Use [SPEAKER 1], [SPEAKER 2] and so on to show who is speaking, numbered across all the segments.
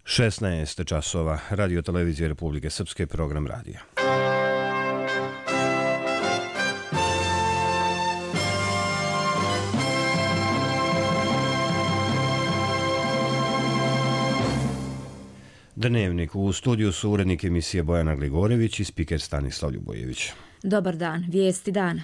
[SPEAKER 1] 16 časova, Radio televizije Republike Srpske, program radija. Dnevnik. U studiju su urednik emisije Bojana Gligorević i spiker Stanislav Ljubojević.
[SPEAKER 2] Dobar dan, vijesti dana.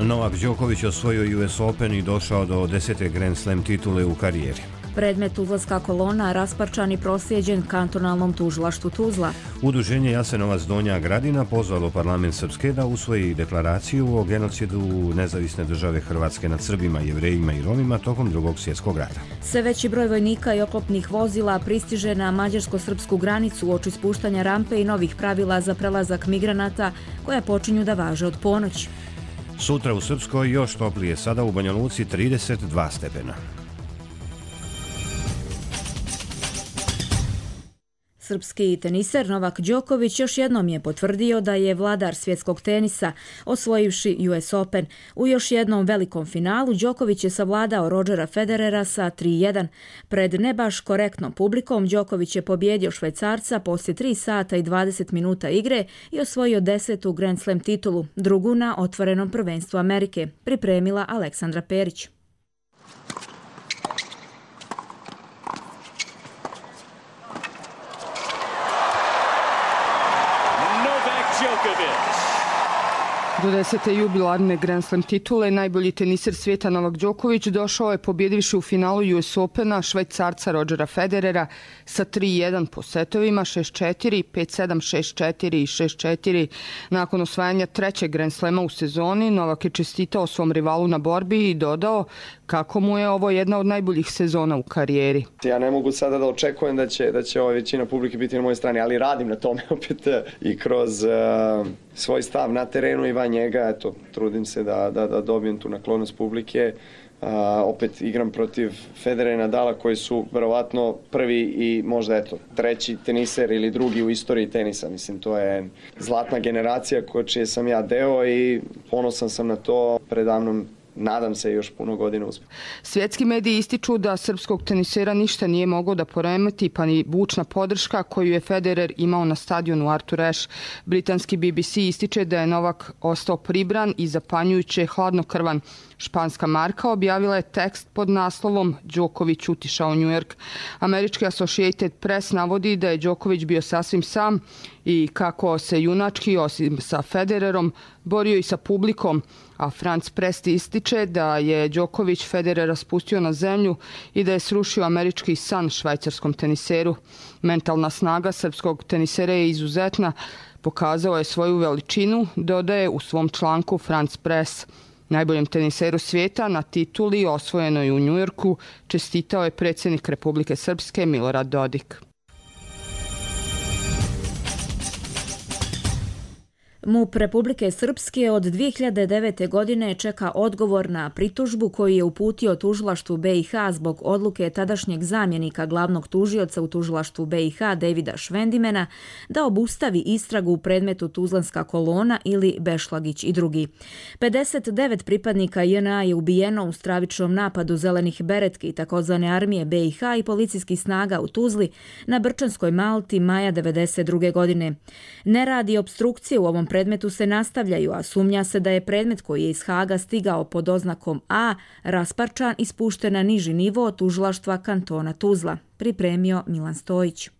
[SPEAKER 1] Novak Đoković osvojio US Open i došao do 10. Grand Slam titule u karijeri.
[SPEAKER 2] Predmet Tuzlanska kolona rasparčan i proslijeđen kantonalnom tužilaštvu Tuzla.
[SPEAKER 1] Udruženje Jasenovac Donja Gradina pozvalo parlament Srpske da usvoji deklaraciju o genocidu nezavisne države Hrvatske nad Srbima, Jevrejima i Romima tokom Drugog svjetskog rata.
[SPEAKER 2] Sve veći broj vojnika i oklopnih vozila pristiže na mađarsko-srpsku granicu uoči spuštanja rampe i novih pravila za prelazak migranata koja počinju da važe od ponoći.
[SPEAKER 1] Sutra u Srpskoj još toplije, sada u Banja Luci 32 stepena.
[SPEAKER 2] Srpski teniser Novak Đoković još jednom je potvrdio da je vladar svjetskog tenisa, osvojivši US Open. U još jednom velikom finalu Đoković je savladao Rodgera Federera sa 3:1. Pred ne baš korektnom publikom Đoković je pobjedio Švajcarca poslije 3 sata i 20 minuta igre i osvojio 10. Grand Slam titulu, drugu na otvorenom prvenstvu Amerike, pripremila Aleksandra Perić.
[SPEAKER 3] Do 10. jubilarne Grand Slam titule najbolji teniser svijeta Novak Đoković došao je pobjedivši u finalu US Opena Švajcarca Rodgera Federera sa 3:1 po setovima 6:4, 5:7, 6:4 i 6:4. Nakon osvajanja trećeg Grand Slama u sezoni, Novak je čestitao svom rivalu na borbi i dodao kako mu je ovo jedna od najboljih sezona u karijeri.
[SPEAKER 4] Ja ne mogu sada da očekujem da će većina publike biti na mojoj strani, ali radim na tome opet i kroz svoj stav na terenu i van njega, eto, trudim se da dobijem tu naklonost publike. Opet igram protiv Federera i Nadala koji su verovatno prvi i možda treći teniser ili drugi u istoriji tenisa. Mislim, to je zlatna generacija čije sam ja deo i ponosan sam na to. Predamnom nadam se još puno godina uspije.
[SPEAKER 3] Svjetski mediji ističu da srpskog tenisera ništa nije moglo da poremeti, pa ni bučna podrška koju je Federer imao na stadionu Arthur Ashe. Britanski BBC ističe da je Novak ostao pribran i zapanjujuće hladnokrvan. Španska marka objavila je tekst pod naslovom Đoković utišao New York. Američki Associated Press navodi da je Đoković bio sasvim sam i kako se junački, osim sa Federerom, borio i sa publikom, a France Press ističe da je Đoković Federera spustio na zemlju i da je srušio američki san švajcarskom teniseru. Mentalna snaga srpskog tenisera je izuzetna, pokazao je svoju veličinu, dodaje u svom članku France Press. Najboljem teniseru svijeta na tituli osvojenoj u Njujorku čestitao je predsjednik Republike Srpske Milorad Dodik.
[SPEAKER 2] MUP Republike Srpske od 2009. godine čeka odgovor na pritužbu koju je uputio tužilaštvu BiH zbog odluke tadašnjeg zamjenika glavnog tužioca u tužilaštvu BiH Davida Švendimena da obustavi istragu u predmetu Tuzlanska kolona ili Bešlagić i drugi. 59 pripadnika JNA je ubijeno u stravičnom napadu zelenih beretki takozvane armije BiH i policijskih snaga u Tuzli na Brčanskoj Malti maja 1992. godine. Nerad i opstrukcije u ovom predmetu se nastavljaju, a sumnja se da je predmet koji je iz Haga stigao pod oznakom A rasparčan i spušten na niži nivo tužilaštva kantona Tuzla, pripremio Milan Stojić.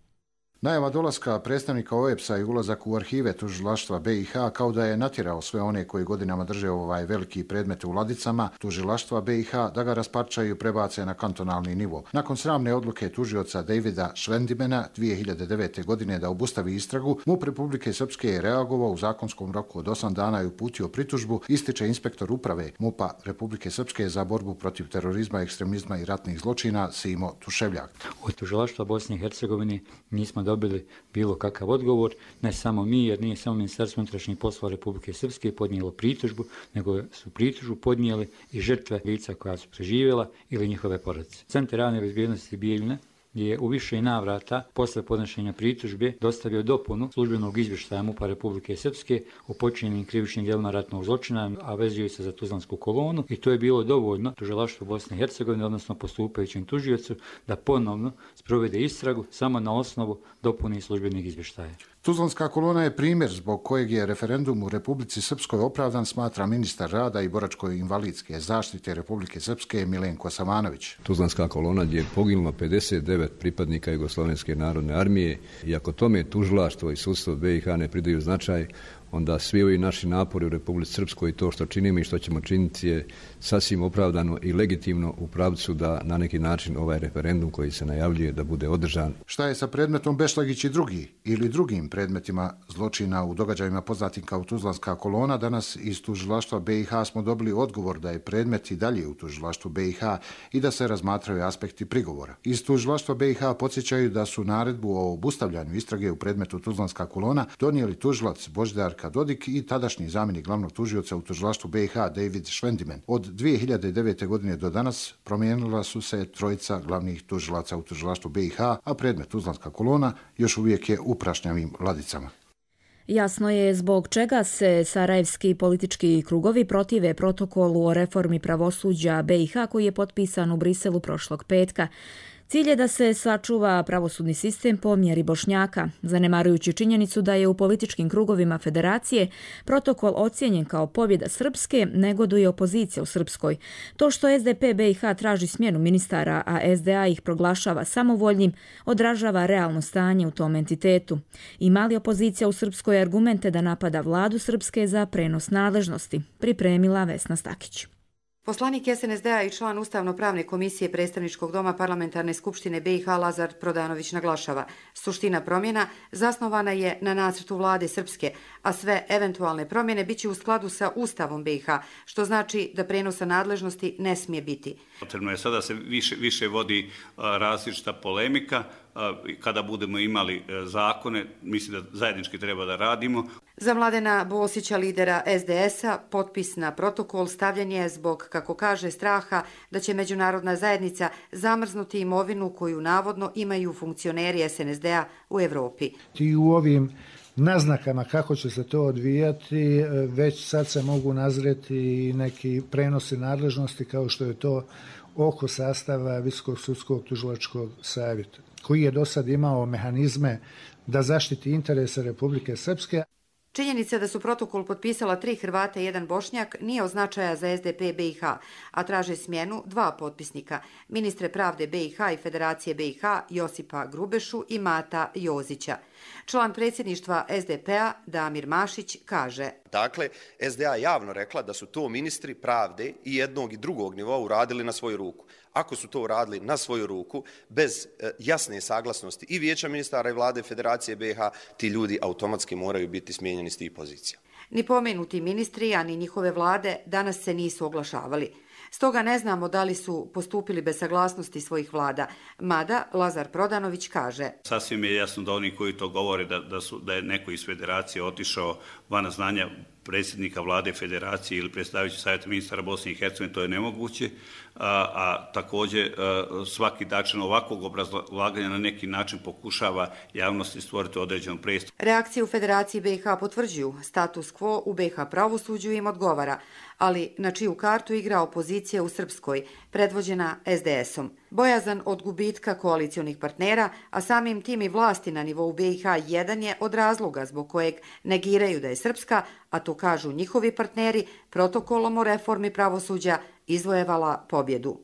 [SPEAKER 5] Najava dolaska predstavnika OEBS-a i ulazak u arhive tužilaštva BiH kao da je natjerao sve one koji godinama drže ovaj veliki predmet u ladicama tužilaštva BiH da ga rasparčaju i prebace na kantonalni nivo. Nakon sramne odluke tužioca Davida Švendimena 2009. godine da obustavi istragu, MUP Republike Srpske je reagovao u zakonskom roku od 8 dana i uputio pritužbu, ističe inspektor uprave MUP-a Republike Srpske za borbu protiv terorizma, ekstremizma i ratnih zločina Simo Tuševljak.
[SPEAKER 6] Od tužilaštva Bosne i Hercegovine nismo dobili bilo kakav odgovor, ne samo mi, jer nije samo Ministarstvo unutrašnjih poslova Republike Srpske podnijelo pritužbu, nego su pritužbu podnijeli i žrtve lica koja su preživjela ili njihove porodice. Centar javne bezbjednosti Bijeljine je u više navrata posle podnošenja pritužbe dostavio dopunu službenog izvještaja MUP-a Republike Srpske o počinjenim krivičnim djelima ratnog zločina, a vezuju se za Tuzlansku kolonu, i to je bilo dovoljno tužilaštvu Bosne i Hercegovine, odnosno postupajućem tužiocu, da ponovno sprovede istragu samo na osnovu dopune službenih izvještaja.
[SPEAKER 5] Tuzlanska kolona je primjer zbog kojeg je referendum u Republici Srpskoj opravdan, smatra ministar rada i boračko-invalidske zaštite Republike Srpske Milenko Savanović.
[SPEAKER 7] Tuzlanska kolona je poginulo 59 pripadnika Jugoslovenske narodne armije i ako tome tužilaštvo i sudstvo BiH ne pridaju značaj, onda svi ovi naši napori u Republici Srpskoj i to što činimo i što ćemo činiti je sasvim opravdano i legitimno u pravcu da na neki način ovaj referendum koji se najavljuje da bude održan.
[SPEAKER 5] Šta je sa predmetom Bešlagić i drugi ili drugim predmetima zločina u događajima poznatim kao Tuzlanska kolona? Danas iz tužilaštva BiH smo dobili odgovor da je predmet i dalje u tužilaštvu BiH i da se razmatraju aspekti prigovora. Iz tužilaštva BiH podsjećaju da su naredbu o obustavljanju istrage u predmetu Tuzlanska kolona donijeli tužilac Božidar Dodik i tadašnji zamjenik glavnog tužioca u tužilaštvu BiH David Švendimen. Od 2009. godine do danas promijenila su se trojica glavnih tužilaca u tužilaštvu BiH, a predmet Tuzlanska kolona još uvijek je u prašnjavim ladicama.
[SPEAKER 2] Jasno je zbog čega se sarajevski politički krugovi protive protokolu o reformi pravosuđa BiH koji je potpisan u Briselu prošlog petka. Cilj je da se sačuva pravosudni sistem po mjeri Bošnjaka, zanemarujući činjenicu da je u političkim krugovima federacije protokol ocijenjen kao pobjeda Srpske, negoduje opozicija u Srpskoj. To što SDP BiH traži smjenu ministara, a SDA ih proglašava samovoljnim, odražava realno stanje u tom entitetu. Ima li opozicija u Srpskoj argumente da napada vladu Srpske za prenos nadležnosti? Pripremila Vesna Stakić.
[SPEAKER 8] Poslanik SNSD-a i član Ustavno-pravne komisije Predstavničkog doma Parlamentarne skupštine BiH Lazar Prodanović naglašava: suština promjena zasnovana je na nacrtu vlade Srpske, a sve eventualne promjene biće u skladu sa Ustavom BiH, što znači da prenosa nadležnosti ne smije biti.
[SPEAKER 9] Potrebno je sada se više vodi različita polemika. Kada budemo imali zakone, mislim da zajednički treba da radimo.
[SPEAKER 8] Za Mladena Bosića, lidera SDS-a, potpis na protokol stavljen je zbog, kako kaže, straha da će međunarodna zajednica zamrznuti imovinu koju navodno imaju funkcioneri SNSD-a u Evropi.
[SPEAKER 10] I u ovim naznakama kako će se to odvijati, već sad se mogu nazreti neki prenosi nadležnosti kao što je to oko sastava Visokog sudskog tužilačkog savjeta, koji je do sad imao mehanizme da zaštiti interese Republike Srpske.
[SPEAKER 8] Činjenica da su protokol potpisala 3 Hrvata i 1 Bošnjak nije od značaja za SDP BiH, a traže smjenu 2 potpisnika, ministre pravde BiH i Federacije BiH Josipa Grubešu i Mata Jozića. Član predsjedništva SDP-a Damir Mašić kaže:
[SPEAKER 11] Dakle, SDA javno rekla da su to ministri pravde i jednog i drugog nivoa uradili na svoju ruku. Ako su to uradili na svoju ruku, bez jasne saglasnosti i vijeća ministara i vlade Federacije BiH, ti ljudi automatski moraju biti smijenjeni s tih pozicija.
[SPEAKER 8] Ni pomenuti ministri, a ni njihove vlade danas se nisu oglašavali. Stoga ne znamo da li su postupili bez saglasnosti svojih vlada. Mada Lazar Prodanović kaže:
[SPEAKER 9] Sasvim je jasno da oni koji to govore da je neko iz Federacije otišao van znanja predsjednika vlade Federacije ili predstavljajući savjeta ministara Bosne i Hercegovine, to je nemoguće, a također svaki način ovakvog obrazlaganja na neki način pokušava javnosti stvoriti određenu predstavu.
[SPEAKER 8] Reakcije u Federaciji BiH potvrđuju status quo u BiH pravosuđu im odgovara, ali na čiju kartu igra opozicija u Srpskoj, predvođena SDS-om. Bojazan od gubitka koalicionih partnera, a samim tim i vlasti na nivou BiH jedan je od razloga zbog kojeg negiraju da je Srpska, a to kažu njihovi partneri, protokolom o reformi pravosuđa izvojevala pobjedu.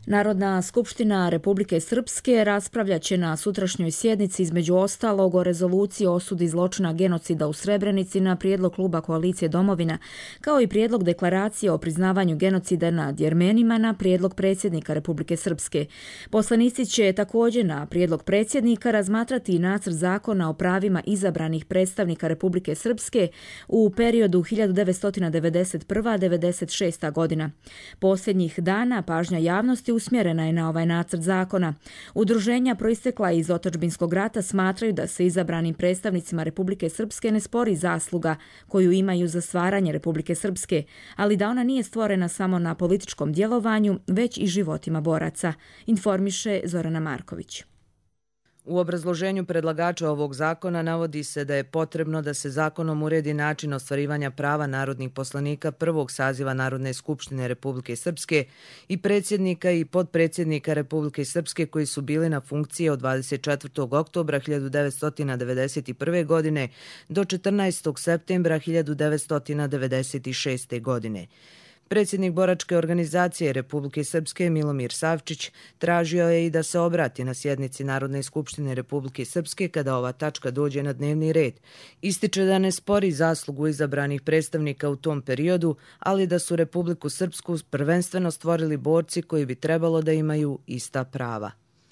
[SPEAKER 2] Narodna skupština Republike Srpske raspravljaće na sutrašnjoj sjednici između ostalog o rezoluciji o osudi zločina genocida u Srebrenici na prijedlog kluba Koalicije Domovina, kao i prijedlog deklaracije o priznavanju genocida nad Jermenima na prijedlog predsjednika Republike Srpske. Poslanici će također na prijedlog predsjednika razmatrati i nacrt zakona o pravima izabranih predstavnika Republike Srpske u periodu 1991-1996. godina. Posljednjih dana pažnja javnosti usmjerena je na ovaj nacrt zakona. Udruženja proistekla iz otadžbinskog rata smatraju da se izabranim predstavnicima Republike Srpske ne spori zasluga koju imaju za stvaranje Republike Srpske, ali da ona nije stvorena samo na političkom djelovanju, već i životima boraca, informiše Zorana Marković.
[SPEAKER 12] U obrazloženju predlagača ovog zakona navodi se da je potrebno da se zakonom uredi način ostvarivanja prava narodnih poslanika prvog saziva Narodne skupštine Republike Srpske i predsjednika i potpredsjednika Republike Srpske koji su bili na funkciji od 24. oktobra 1991. godine do 14. septembra 1996. godine. Predsjednik boračke organizacije Republike Srpske Milomir Savčić tražio je i da se obrati na sjednici Narodne skupštine Republike Srpske kada ova tačka dođe na dnevni red. Ističe da ne spori zaslugu izabranih predstavnika u tom periodu, ali da su Republiku Srpsku prvenstveno stvorili borci koji bi trebalo da imaju ista prava.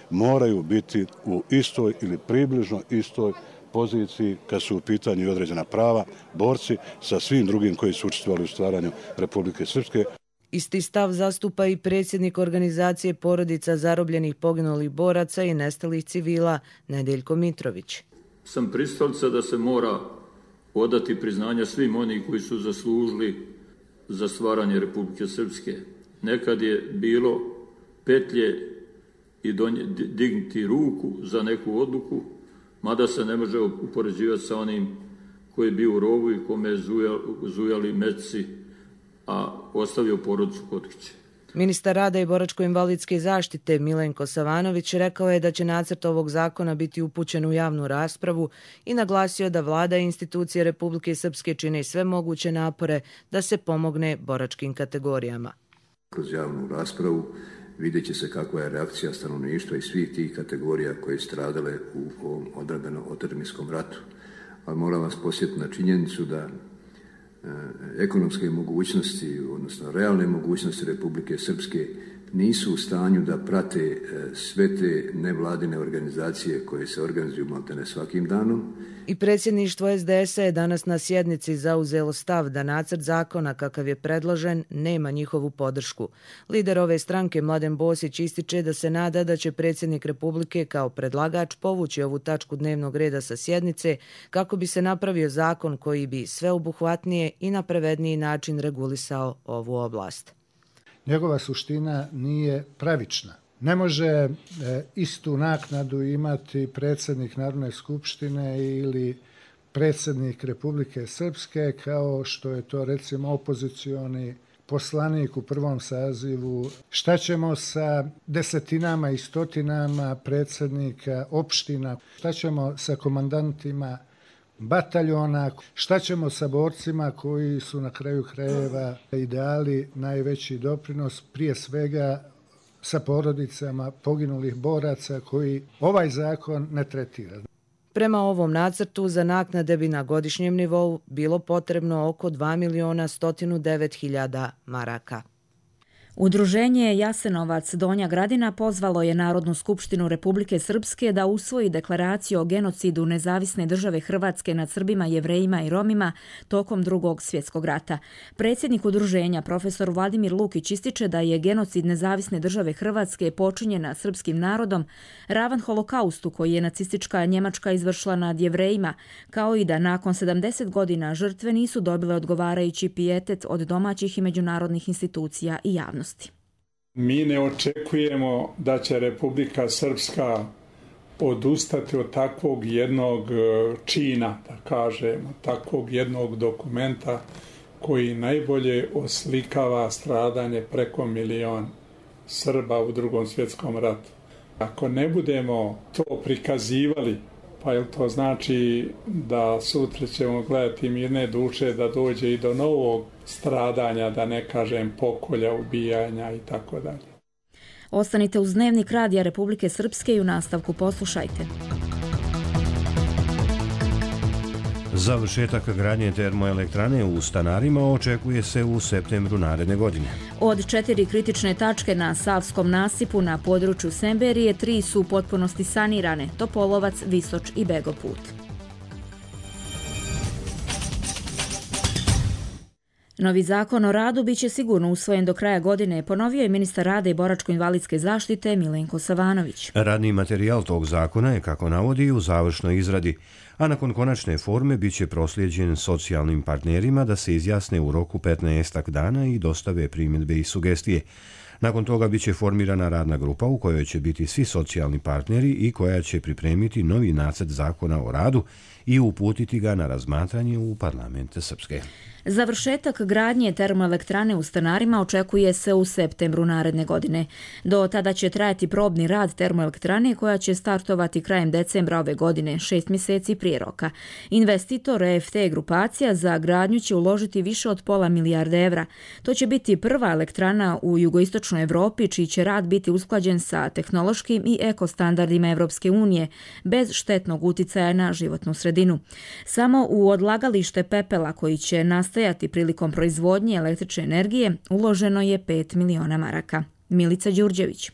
[SPEAKER 13] Moraju biti u istoj ili približno istoj poziciji kad su u pitanju određena prava, borci sa svim drugim koji su učestvovali u stvaranju Republike Srpske.
[SPEAKER 12] Isti stav zastupa i predsjednik organizacije porodica zarobljenih poginulih boraca i nestalih civila Nedeljko Mitrović.
[SPEAKER 14] Sam pristalica da se mora odati priznanja svim onih koji su zaslužili za stvaranje Republike Srpske. Nekad je bilo petlje i dignuti ruku za neku odluku, mada se ne može upoređivati sa onim koji je bio u rovu i kome je zujali metci, a ostavio porodicu kod kuće.
[SPEAKER 12] Ministar rada i boračko-invalidske zaštite Milenko Savanović rekao je da će nacrt ovog zakona biti upućen u javnu raspravu i naglasio da vlada i institucije Republike Srpske čine sve moguće napore da se pomogne boračkim kategorijama.
[SPEAKER 15] Kroz javnu raspravu vidjet će se kakva je reakcija stanovništva i svih tih kategorija koje stradale u ovom otadžbinskom ratu. Ali moram vas posjetiti na činjenicu da ekonomske mogućnosti, odnosno realne mogućnosti Republike Srpske nisu u stanju da prate sve te nevladine organizacije koje se organizuju maltene svakim danom.
[SPEAKER 12] I predsjedništvo SDS-a je danas na sjednici zauzelo stav da nacrt zakona kakav je predložen nema njihovu podršku. Lider ove stranke Mladen Bosić ističe da se nada da će predsjednik Republike kao predlagač povući ovu tačku dnevnog reda sa sjednice kako bi se napravio zakon koji bi sveobuhvatnije i na pravedniji način regulisao ovu oblast.
[SPEAKER 10] Njegova suština nije pravična. Ne može istu naknadu imati predsjednik Narodne skupštine ili predsjednik Republike Srpske kao što je to recimo opozicioni poslanik u prvom sazivu. Šta ćemo sa desetinama i stotinama predsjednika opština? Šta ćemo sa komandantima bataljona? Šta ćemo sa borcima koji su na kraju krajeva i dali najveći doprinos, prije svega sa porodicama poginulih boraca koji ovaj zakon ne tretira?
[SPEAKER 12] Prema ovom nacrtu za naknade bi na godišnjem nivou bilo potrebno oko 2.109.000 maraka.
[SPEAKER 2] Udruženje Jasenovac Donja Gradina pozvalo je Narodnu skupštinu Republike Srpske da usvoji deklaraciju o genocidu Nezavisne države Hrvatske nad Srbima, Jevrejima i Romima tokom Drugog svjetskog rata. Predsjednik udruženja profesor Vladimir Lukić ističe da je genocid Nezavisne države Hrvatske počinjen nad srpskim narodom ravan holokaustu koji je nacistička Njemačka izvršila nad Jevrejima, kao i da nakon 70 godina žrtve nisu dobile odgovarajući pijetet od domaćih i međunarodnih institucija i javnosti.
[SPEAKER 16] Mi ne očekujemo da će Republika Srpska odustati od takvog jednog čina, da kažemo, takvog jednog dokumenta koji najbolje oslikava stradanje preko 1 milion Srba u Drugom svjetskom ratu. Ako ne budemo to prikazivali, pa jel to znači da sutra ćemo gledati mirne duše da dođe i do novog stradanja, da ne kažem pokolja, ubijanja i tako dalje.
[SPEAKER 2] Ostanite uz Dnevnik Radija Republike Srpske i u nastavku poslušajte.
[SPEAKER 1] Završetak gradnje termoelektrane u Stanarima očekuje se u septembru naredne godine.
[SPEAKER 2] Od 4 kritične tačke na Savskom nasipu na području Semberije 3 su u potpunosti sanirane: Topolovac, Visoč i Begoput. Novi zakon o radu biće sigurno usvojen do kraja godine, ponovio je ministar rada i boračko-invalidske zaštite Milenko Savanović.
[SPEAKER 1] Radni materijal tog zakona je, kako navodi, u završnoj izradi, a nakon konačne forme biće proslijeđen socijalnim partnerima da se izjasne u roku 15 dana i dostave primjedbe i sugestije. Nakon toga biće formirana radna grupa u kojoj će biti svi socijalni partneri i koja će pripremiti novi nacrt zakona o radu i uputiti ga na razmatranje u parlamente Srpske.
[SPEAKER 2] Završetak gradnje termoelektrane u Stanarima očekuje se u septembru naredne godine. Do tada će trajati probni rad termoelektrane koja će startovati krajem decembra ove godine, 6 mjeseci prije roka. Investitor EFT grupacija za gradnju će uložiti više od £500 milijarda. To će biti prva elektrana u jugoistočnoj Evropi čiji će rad biti usklađen sa tehnološkim i ekostandardima Evropske unije, bez štetnog uticaja na životnu sredinu. Samo u odlagalište pepela koji će nastajati prilikom proizvodnje električne energije uloženo je 5 miliona maraka. Milica Đurđević.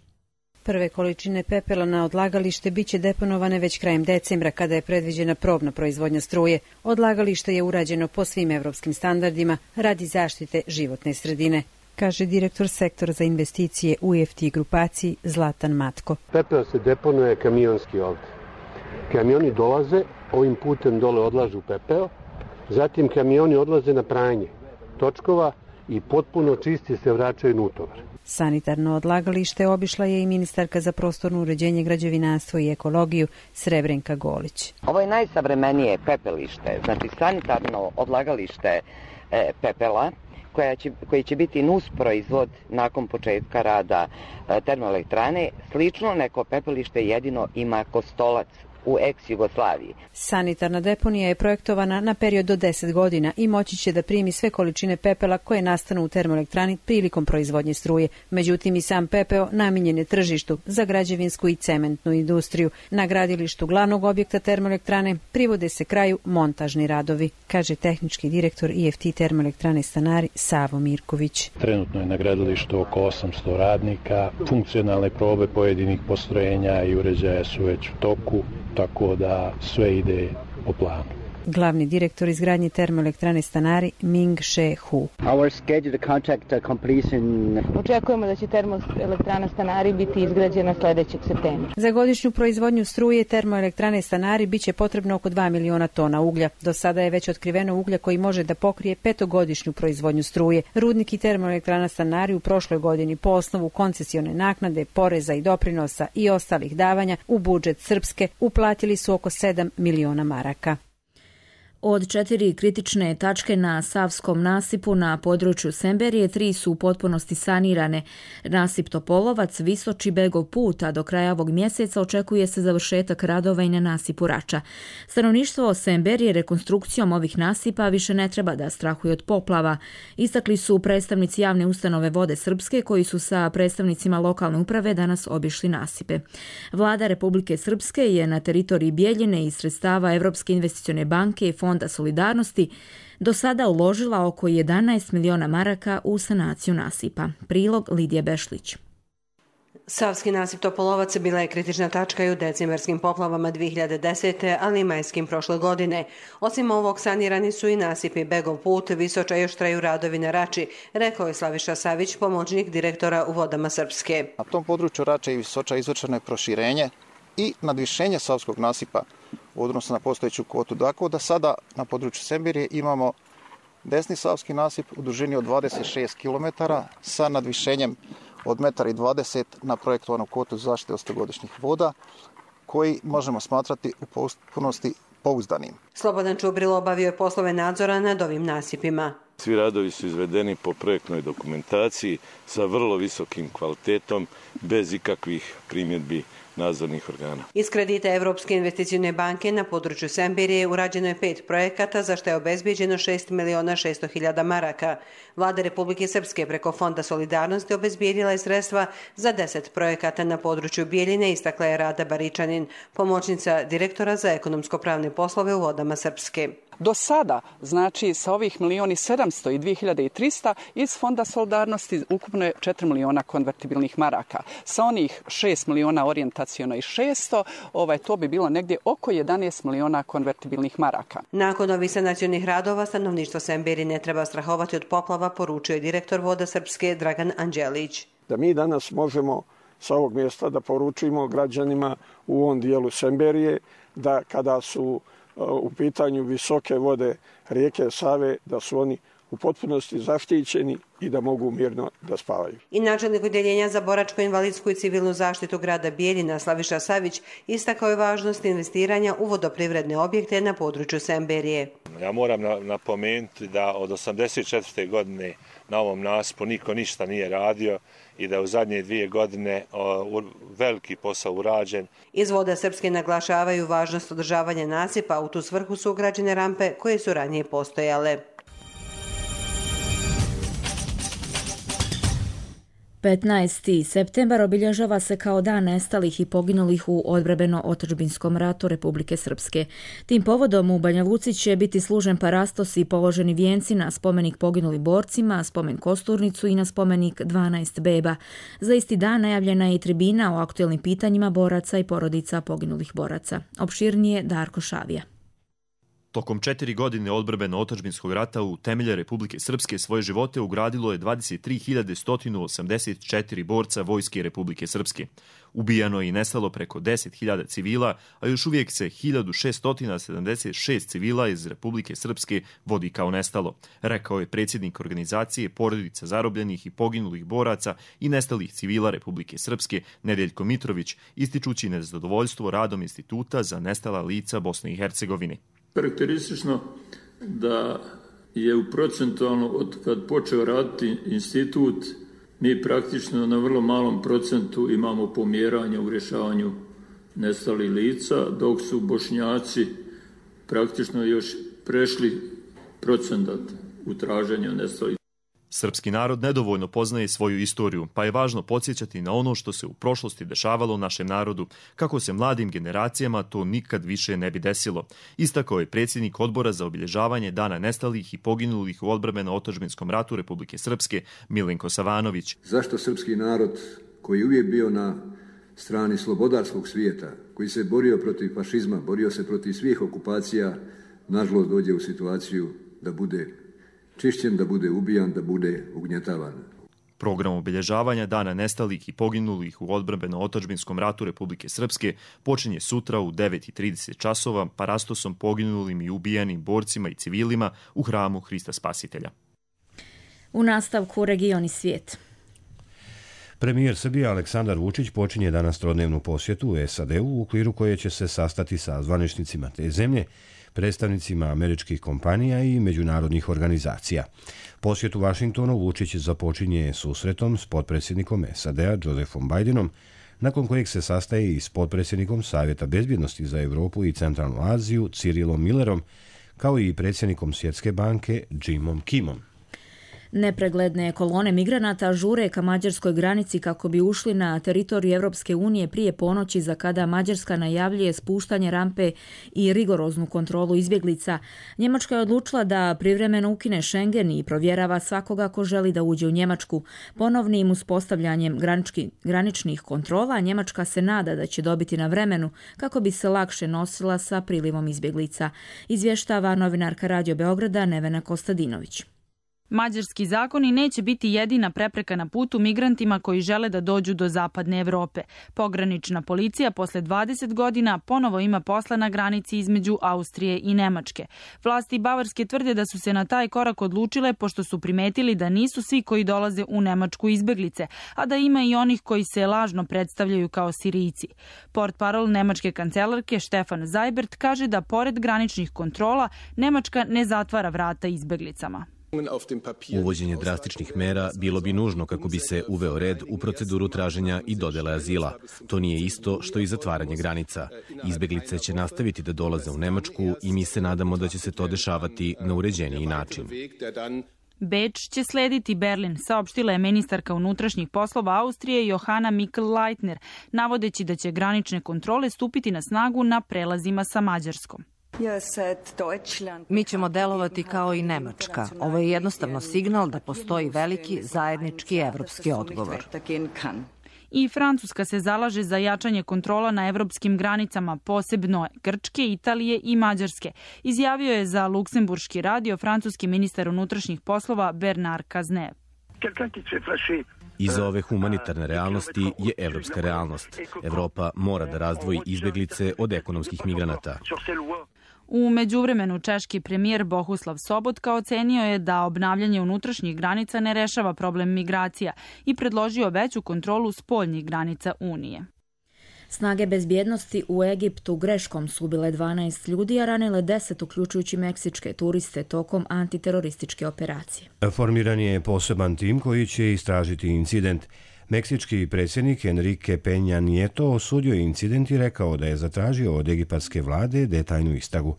[SPEAKER 17] Prve količine pepela na odlagalište biće deponovane već krajem decembra kada je predviđena probna proizvodnja struje. Odlagalište je urađeno po svim evropskim standardima radi zaštite životne sredine, kaže direktor sektora za investicije u EFT grupaciji Zlatan Matko.
[SPEAKER 18] Pepeo se deponuje kamionski ovdje. Kamioni dolaze, ovim putem dole odlažu pepeo, zatim kamioni odlaze na pranje točkova i potpuno čisti se vraćaju na utovar.
[SPEAKER 17] Sanitarno odlagalište obišla je i ministarka za prostorno uređenje, građevinarstvo i ekologiju Srebrenka Golić.
[SPEAKER 19] Ovo je najsavremenije pepelište, znači sanitarno odlagalište pepela koji će biti nus proizvod nakon početka rada termoelektrane. Slično neko pepelište jedino ima Kostolac u ex-Jugoslaviji.
[SPEAKER 17] Sanitarna deponija je projektovana na period do 10 godina i moći će da primi sve količine pepela koje nastanu u termoelektrani prilikom proizvodnje struje. Međutim, i sam pepeo namijenjen je tržištu za građevinsku i cementnu industriju. Na gradilištu glavnog objekta termoelektrane privode se kraju montažni radovi, kaže tehnički direktor EFT termoelektrane Stanari Savo Mirković.
[SPEAKER 20] Trenutno je na gradilištu oko 800 radnika. Funkcionalne probe pojedinih postrojenja i uređaja su već u toku, tako da sve ide po planu.
[SPEAKER 17] Glavni direktor izgradnje termoelektrane Stanari Ming She Hu.
[SPEAKER 21] Očekujemo da će termoelektrana Stanari biti izgrađena sljedećeg septembra.
[SPEAKER 17] Za godišnju proizvodnju struje termoelektrane Stanari biće potrebno oko 2 miliona tona uglja. Do sada je već otkriveno uglja koji može da pokrije 5-godišnju proizvodnju struje. Rudnik i termoelektrana Stanari u prošloj godini po osnovu koncesione naknade, poreza i doprinosa i ostalih davanja u budžet Srpske uplatili su oko 7 miliona maraka.
[SPEAKER 2] Od 4 kritične tačke na Savskom nasipu na području Semberije, 3 su u potpunosti sanirane. Nasip Topolovac, Visoči, Begov put, a do kraja ovog mjeseca očekuje se završetak radova i na nasipu Rača. Stanovništvo Semberije rekonstrukcijom ovih nasipa više ne treba da strahuje od poplava. Istakli su predstavnici javne ustanove Vode Srpske koji su sa predstavnicima lokalne uprave danas obišli nasipe. Vlada Republike Srpske je na teritoriji Bijeljine iz sredstava Evropske investicione banke i Fonda solidarnosti do sada uložila oko 11 miliona maraka u sanaciju nasipa. Prilog Lidije Bešlić.
[SPEAKER 22] Savski nasip Topolovac bila je kritična tačka i u decembarskim poplavama 2010. ali i majskim prošle godine. Osim ovog sanirani su i nasipi Begov put, Visoča, još traju radovi na Rači, rekao je Slaviša Savić, pomoćnik direktora u Vodama Srpske.
[SPEAKER 23] Na tom području Rače i Visoča izvršeno je proširenje i nadvišenje Savskog nasipa u odnosu na postojeću kvotu. Dakle, da sada na području Semberije imamo desni Savski nasip u dužini od 26 km sa nadvišenjem od 1,20 m na projektovanu kvotu zaštite od 100-godišnjih voda, koji možemo smatrati u potpunosti pouzdanim.
[SPEAKER 22] Slobodan Čubrilo obavio je poslove nadzora nad ovim nasipima.
[SPEAKER 24] Svi radovi su izvedeni po projektnoj dokumentaciji sa vrlo visokim kvalitetom, bez ikakvih primjedbi nadzornih organa.
[SPEAKER 22] Iz kredita Evropske investicione banke na području Semberije urađeno je 5 projekata za što je obezbijeđeno 6.600.000 maraka. Vlada Republike Srpske preko Fonda solidarnosti obezbijedila je sredstva za 10 projekata na području Bijeljine, istakla je Rada Baričanin, pomoćnica direktora za ekonomsko-pravne poslove u Vodama Srpske.
[SPEAKER 3] Do sada, znači sa ovih 1.700.000 i 2.300 iz Fonda solidarnosti ukupno je 4 miliona konvertibilnih maraka. Sa onih 6 miliona orijentacijono i 600, to bi bilo negdje oko 11 miliona konvertibilnih maraka.
[SPEAKER 22] Nakon ovih sanacionih radova, stanovništvo Semberije ne treba strahovati od poplava, poručio je direktor Voda Srpske Dragan Anđelić.
[SPEAKER 4] Da mi danas možemo sa ovog mjesta da poručimo građanima u ovom dijelu Semberije da kada su u pitanju visoke vode rijeke Save, da su oni u potpunosti zaštićeni i da mogu mirno da spavaju.
[SPEAKER 22] I načelnik odjeljenja za boračko-invalidsku i civilnu zaštitu grada Bijeljina Slaviša Savić istakao je važnost investiranja u vodoprivredne objekte na području Semberije.
[SPEAKER 6] Ja moram napomenuti da od 1984. godine na ovom nasipu niko ništa nije radio i da u zadnje 2 godine veliki posao urađen.
[SPEAKER 22] Iz Voda Srpske naglašavaju važnost održavanja nasipa, a u tu svrhu su ugrađene rampe koje su ranije postojale.
[SPEAKER 2] 15. septembar obilježava se kao dan nestalih i poginulih u odbrambeno-otadžbinskom ratu Republike Srpske. Tim povodom u Banja Luci će biti služen parastos i položeni vijenci na spomenik poginulim borcima, spomen kosturnicu i na spomenik 12 beba. Za isti dan najavljena je i tribina o aktuelnim pitanjima boraca i porodica poginulih boraca. Opširnije Darko Šavija.
[SPEAKER 7] Tokom 4 godine odbrambeno-otadžbinskog rata u temelje Republike Srpske svoje živote ugradilo je 23.184 borca Vojske Republike Srpske. Ubijano je i nestalo preko 10.000 civila, a još uvijek se 1.676 civila iz Republike Srpske vodi kao nestalo, rekao je predsjednik organizacije Porodica zarobljenih i poginulih boraca i nestalih civila Republike Srpske Nedeljko Mitrović, ističući nezadovoljstvo radom Instituta za nestala lica Bosne i Hercegovine.
[SPEAKER 14] Karakteristično da je u procentualno od kad počeo raditi institut, mi praktično na vrlo malom procentu imamo pomjeranje u rješavanju nestalih lica, dok su Bošnjaci praktično još prešli procenat u traženju nestalih.
[SPEAKER 7] Srpski narod nedovoljno poznaje svoju istoriju, pa je važno podsjećati na ono što se u prošlosti dešavalo našem narodu, kako se mladim generacijama to nikad više ne bi desilo. Istakao je predsjednik Odbora za obilježavanje Dana nestalih i poginulih u odbrambeno-otadžbinskom ratu Republike Srpske Milenko Savanović.
[SPEAKER 15] Zašto srpski narod, koji je uvijek bio na strani slobodarskog svijeta, koji se borio protiv fašizma, borio se protiv svih okupacija, nažalost dođe u situaciju da bude čišćen, da bude ubijan, da bude ugnjetavan.
[SPEAKER 7] Program obilježavanja Dana nestalih i poginulih u odbrambeno-otadžbinskom ratu Republike Srpske počinje sutra u 9:30 časova parastosom poginulim i ubijanim borcima i civilima u hramu Hrista Spasitelja.
[SPEAKER 2] U nastavku region i svijet.
[SPEAKER 1] Premijer Srbije Aleksandar Vučić počinje danas trodnevnu posjetu u SAD-u u okviru koje će se sastati sa zvaničnicima te zemlje, predstavnicima američkih kompanija i međunarodnih organizacija. Posjet u Vašingtonu Vučić započinje susretom s potpredsjednikom SAD-a Josephom Bidenom, nakon kojeg se sastaje i s potpredsjednikom Savjeta bezbjednosti za Europu i Centralnu Aziju Cirilom Millerom, kao i predsjednikom Svjetske banke Jimom Kimom.
[SPEAKER 2] Nepregledne kolone migranata žure ka mađarskoj granici kako bi ušli na teritoriju Evropske unije prije ponoći, za kada Mađarska najavljuje spuštanje rampe i rigoroznu kontrolu izbjeglica. Njemačka je odlučila da privremeno ukine Schengen i provjerava svakoga ko želi da uđe u Njemačku. Ponovnim uspostavljanjem graničnih kontrola Njemačka se nada da će dobiti na vremenu kako bi se lakše nosila sa prilivom izbjeglica. Izvještava novinarka Radio Beograda Nevena Kostadinović.
[SPEAKER 25] Mađarski zakoni neće biti jedina prepreka na putu migrantima koji žele da dođu do zapadne Evrope. Pogranična policija posle 20 godina ponovo ima posla na granici između Austrije i Nemačke. Vlasti Bavarske tvrde da su se na taj korak odlučile pošto su primetili da nisu svi koji dolaze u Nemačku izbeglice, a da ima i onih koji se lažno predstavljaju kao Sirijci. Portparol nemačke kancelarke Stefan Seibert kaže da pored graničnih kontrola Nemačka ne zatvara vrata izbeglicama.
[SPEAKER 26] Uvođenje drastičnih mera bilo bi nužno kako bi se uveo red u proceduru traženja i dodele azila. To nije isto što i zatvaranje granica. Izbeglice će nastaviti da dolaze u Nemačku i mi se nadamo da će se to dešavati na uređeniji način.
[SPEAKER 25] Beč će slediti Berlin, saopštila je ministarka unutrašnjih poslova Austrije Johanna Mikl-Leitner, navodeći da će granične kontrole stupiti na snagu na prelazima sa Mađarskom.
[SPEAKER 5] Mi ćemo delovati kao i Nemačka. Ovo je jednostavno signal da postoji veliki zajednički evropski odgovor.
[SPEAKER 25] I Francuska se zalaže za jačanje kontrola na evropskim granicama, posebno Grčke, Italije i Mađarske. Izjavio je za Luksemburški radio francuski ministar unutrašnjih poslova Bernard Cazeneuve.
[SPEAKER 26] Iza ove humanitarne realnosti je evropska realnost. Evropa mora da razdvoji izbeglice od ekonomskih migranata.
[SPEAKER 25] U međuvremenu češki premijer Bohuslav Sobotka ocenio je da obnavljanje unutrašnjih granica ne rešava problem migracija i predložio veću kontrolu spoljnih granica Unije.
[SPEAKER 2] Snage bezbjednosti u Egiptu greškom su ubile 12 ljudi, a ranile 10, uključujući meksičke turiste, tokom antiterorističke operacije.
[SPEAKER 1] Formiran je poseban tim koji će istražiti incident. Meksički predsjednik Enrique Peña Nieto osudio incident i rekao da je zatražio od egipatske vlade detaljnu istragu.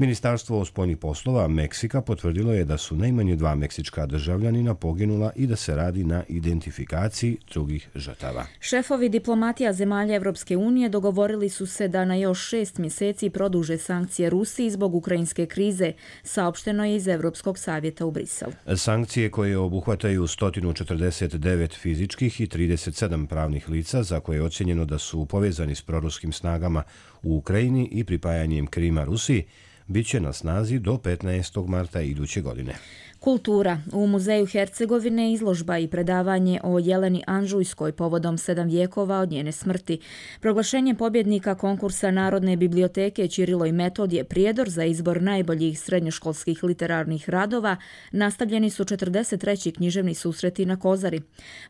[SPEAKER 1] Ministarstvo spoljnih poslova Meksika potvrdilo je da su najmanje 2 meksička državljanina poginula i da se radi na identifikaciji drugih žrtava.
[SPEAKER 2] Šefovi diplomatija zemalja Evropske unije dogovorili su se da na još 6 mjeseci produže sankcije Rusiji zbog ukrajinske krize, saopšteno je iz Evropskog savjeta u Briselu.
[SPEAKER 1] Sankcije koje obuhvataju 149 fizičkih i 37 pravnih lica za koje je ocjenjeno da su povezani s proruskim snagama u Ukrajini i pripajanjem Krima Rusiji, bit će na snazi do 15. marta iduće godine.
[SPEAKER 2] Kultura. U Muzeju Hercegovine izložba i predavanje o Jeleni Anžujskoj povodom 7 vijekova od njene smrti. Proglašenje pobjednika konkursa Narodne biblioteke Ćirilo i Metodije Prijedor za izbor najboljih srednjoškolskih literarnih radova nastavljeni su 43. književni susreti na Kozari.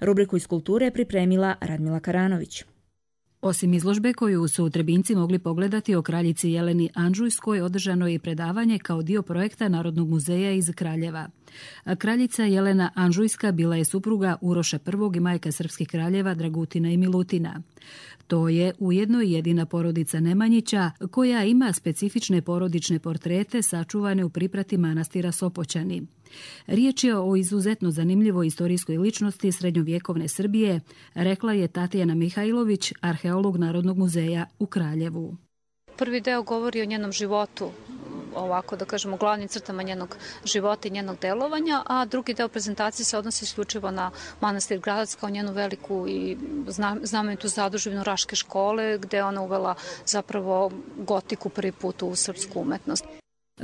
[SPEAKER 2] Rubriku iz kulture pripremila Radmila Karanović.
[SPEAKER 8] Osim izložbe koju su Trebinci mogli pogledati o kraljici Jeleni Anžujskoj, održano je i predavanje kao dio projekta Narodnog muzeja iz Kraljeva. Kraljica Jelena Anžujska bila je supruga Uroša I i majka srpskih kraljeva Dragutina i Milutina. To je ujedno i jedina porodica Nemanjića koja ima specifične porodične portrete sačuvane u priprati manastira Sopoćani. Riječ je o izuzetno zanimljivoj istorijskoj ličnosti srednjovjekovne Srbije, rekla je Tatjana Mihajlović, arheolog Narodnog muzeja u Kraljevu.
[SPEAKER 9] Prvi deo govori o njenom životu, ovako da kažemo, glavnim crtama njenog života i njenog delovanja, a drugi deo prezentacije se odnosi isključivo na manastir Gradac kao njenu veliku i znamenitu zadužbinu Raške škole, gde ona uvela zapravo gotiku prvi put u srpsku umetnost.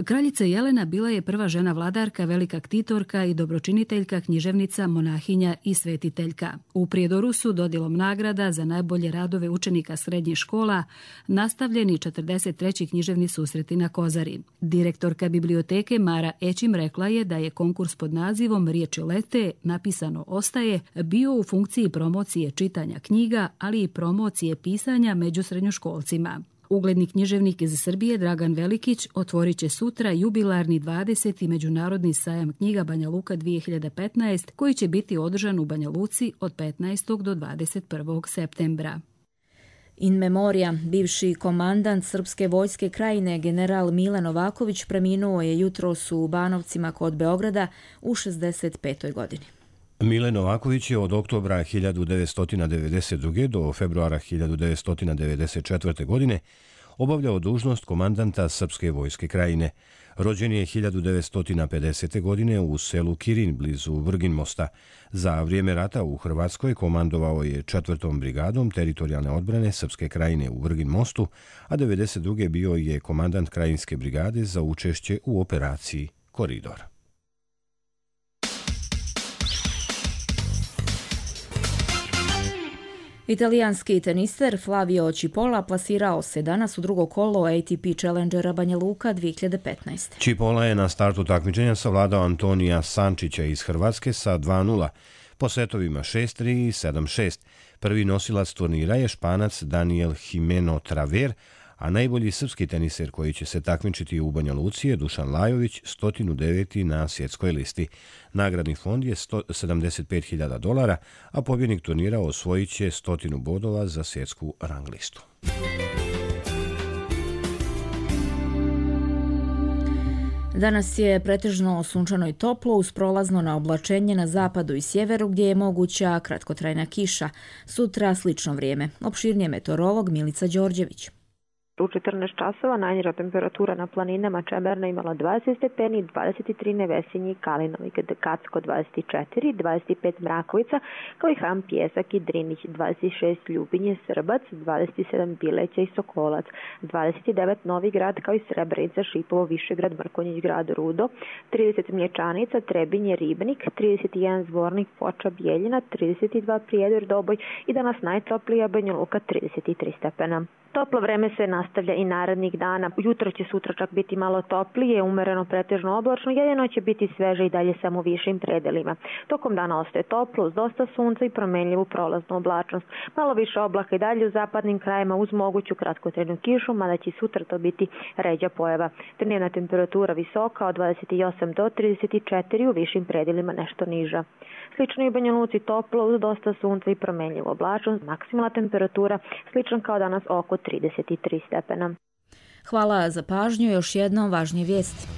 [SPEAKER 8] Kraljica Jelena bila je prva žena vladarka, velika ktitorka i dobročiniteljka, književnica, monahinja i svetiteljka. U Prijedoru su dodjelom nagrada za najbolje radove učenika srednjih škola nastavljeni 43. književni susreti na Kozari. Direktorka biblioteke Mara Ećim rekla je da je konkurs pod nazivom Riječi lete, napisano ostaje, bio u funkciji promocije čitanja knjiga, ali i promocije pisanja među srednjoškolcima. Ugledni književnik iz Srbije Dragan Velikić otvorit će sutra jubilarni 20. Međunarodni sajam knjiga Banja Luka 2015, koji će biti održan u Banja Luci od 15. do 21. septembra.
[SPEAKER 2] In memoria, bivši komandant Srpske vojske Krajine general Mile Novaković preminuo je jutros u Banovcima kod Beograda u 65. godini.
[SPEAKER 1] Mile Novaković je od oktobra 1992. do februara 1994. godine obavljao dužnost komandanta Srpske vojske Krajine. Rođen je 1950. godine u selu Kirin blizu Vrginmosta. Za vrijeme rata u Hrvatskoj komandovao je 4. brigadom teritorijalne odbrane Srpske Krajine u Vrginmostu, a 1992. bio je komandant Krajinske brigade za učešće u operaciji Koridor.
[SPEAKER 2] Italijanski tenister Flavio Cipolla plasirao se danas u drugo kolo ATP Challengera Banja Luka 2015.
[SPEAKER 1] Cipolla je na startu takmičenja savladao Antonija Sančića iz Hrvatske sa 2:0, po setovima 6:3 i 7:6. Prvi nosilac turnira je Španac Daniel Jimeno Traver, a najbolji srpski teniser koji će se takmičiti u Banja Luci je Dušan Lajović, 109. na svjetskoj listi. Nagradni fond je $75.000, a pobjednik turnira osvojit će 100 bodova za svjetsku rang listu.
[SPEAKER 2] Danas je pretežno sunčano i toplo uz prolazno na oblačenje na zapadu i sjeveru gdje je moguća kratkotrajna kiša. Sutra slično vrijeme. Opširnije meteorolog Milica Đorđević.
[SPEAKER 10] U 14 časova najniža temperatura na planinama Čemerna imala 20 stepeni, 23 Nevesinji i Kalinovi, Kacko 24, 25 Mrakovica, kao i Ham Pjesak i Drinić, 26 Ljubinje, Srbac, 27 Bileća i Sokolac, 29 Novi Grad, kao i Srebrenica, Šipovo, Višegrad, Mrkonjić Grad, Rudo, 30 Mlječanica, Trebinje, Ribnik, 31 Zvornik, Foča, Bijeljina, 32 Prijedor, Doboj i danas najtoplija Banja Luka, 33 stepena. Toplo vreme se nastavlja i narednih dana. Jutro će sutra čak biti malo toplije, umereno pretežno oblačno, jedino će biti sveže i dalje samo u višim predelima. Tokom dana ostaje toplo, uz dosta sunca i promenljivu prolaznu oblačnost. Malo više oblaka i dalje u zapadnim krajima uz moguću kratkotrajnu kišu, mada će sutra to biti ređa pojava. Dnevna temperatura visoka od 28 do 34, u višim predelima nešto niža. Slično i u Banja Luci toplo, uz dosta sunca i promenljivu oblačnost. Maksimalna temperatura slična kao danas oko 33 stepena.
[SPEAKER 2] Hvala za pažnju. Još jednom važnije vijesti.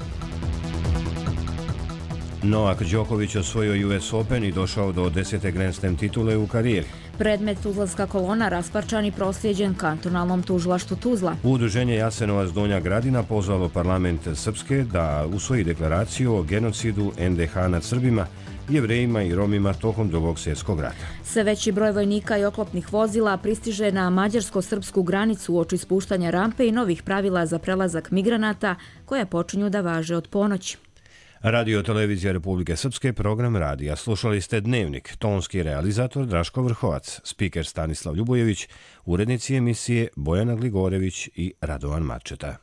[SPEAKER 1] Novak Đoković osvojio US Open i došao do 10. Grand Slam titule u karijeri.
[SPEAKER 2] Predmet Tuzlanska kolona rasparčan i proslijeđen kantonalnom tužilaštvu Tuzla.
[SPEAKER 1] Udruženje Jasenovac Donja Gradina pozvalo parlament Srpske da usvoji deklaraciju o genocidu NDH nad Srbima, Jevrejima i Romima tokom Drugog svjetskog rata.
[SPEAKER 2] Sve veći broj vojnika i oklopnih vozila pristiže na mađarsko-srpsku granicu uoči spuštanja rampe i novih pravila za prelazak migranata koja počinju da važe od ponoći.
[SPEAKER 1] Radio Televizija Republike Srpske, program radija. Slušali ste Dnevnik, tonski realizator Draško Vrhovac, spiker Stanislav Ljubojević, urednici emisije Bojana Gligorević i Radovan Marčeta.